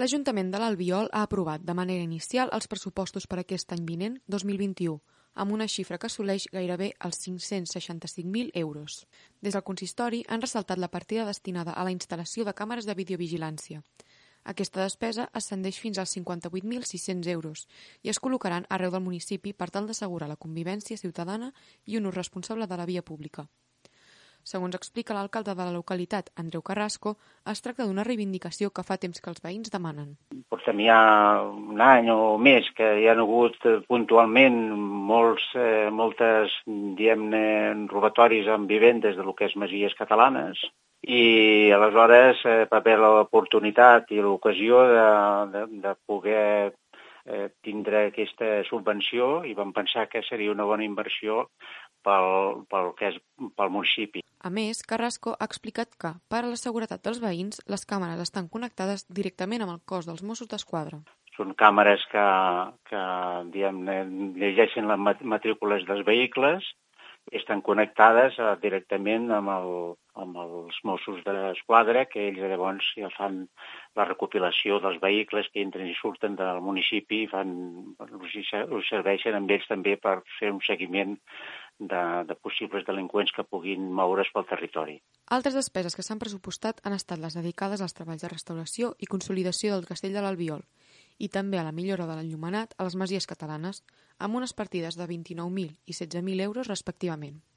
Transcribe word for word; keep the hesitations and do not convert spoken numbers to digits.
L'Ajuntament de l'Albiol ha aprovat de manera inicial els pressupostos per aquest any vinent, dos mil vint-i-u, amb una xifra que assoleix gairebé els cinc-cents seixanta-cinc mil euros. Des del consistori han ressaltat la partida destinada a la instal·lació de càmeres de videovigilància. Aquesta despesa ascendeix fins als cinquanta-vuit mil sis-cents euros i es col·locaran arreu del municipi per tal d'assegurar la convivència ciutadana i un ús responsable de la via pública. Segons explica l'alcalde de la localitat, Andreu Carrasco, es tracta d'una reivindicació que fa temps que els veïns demanen. Portem ja un any o més que hi ha hagut puntualment molts, eh, moltes, diguem-ne, robatoris amb vivendes de lo que és masies catalanes i aleshores eh, va haver l'oportunitat i l'ocasió de, de, de poder eh, tindre aquesta subvenció i vam pensar que seria una bona inversió pel, pel que és pel municipi. A més, Carrasco ha explicat que, per a la seguretat dels veïns, les càmeres estan connectades directament amb el cos dels Mossos d'Esquadra. Són càmeres que, que diguem-ne, llegeixen les matrícules dels vehicles i estan connectades eh, directament amb, el, amb els Mossos d'Esquadra, que ells llavors ja fan la recopilació dels vehicles que entren i surten del municipi i fan, us serveixen amb ells també per fer un seguiment de, de possibles delinqüents que puguin moure's pel territori. Altres despeses que s'han pressupostat han estat les dedicades als treballs de restauració i consolidació del castell de l'Albiol i també a la millora de l'enllumenat a les masies catalanes, amb unes partides de vint-i-nou mil i setze mil euros respectivament.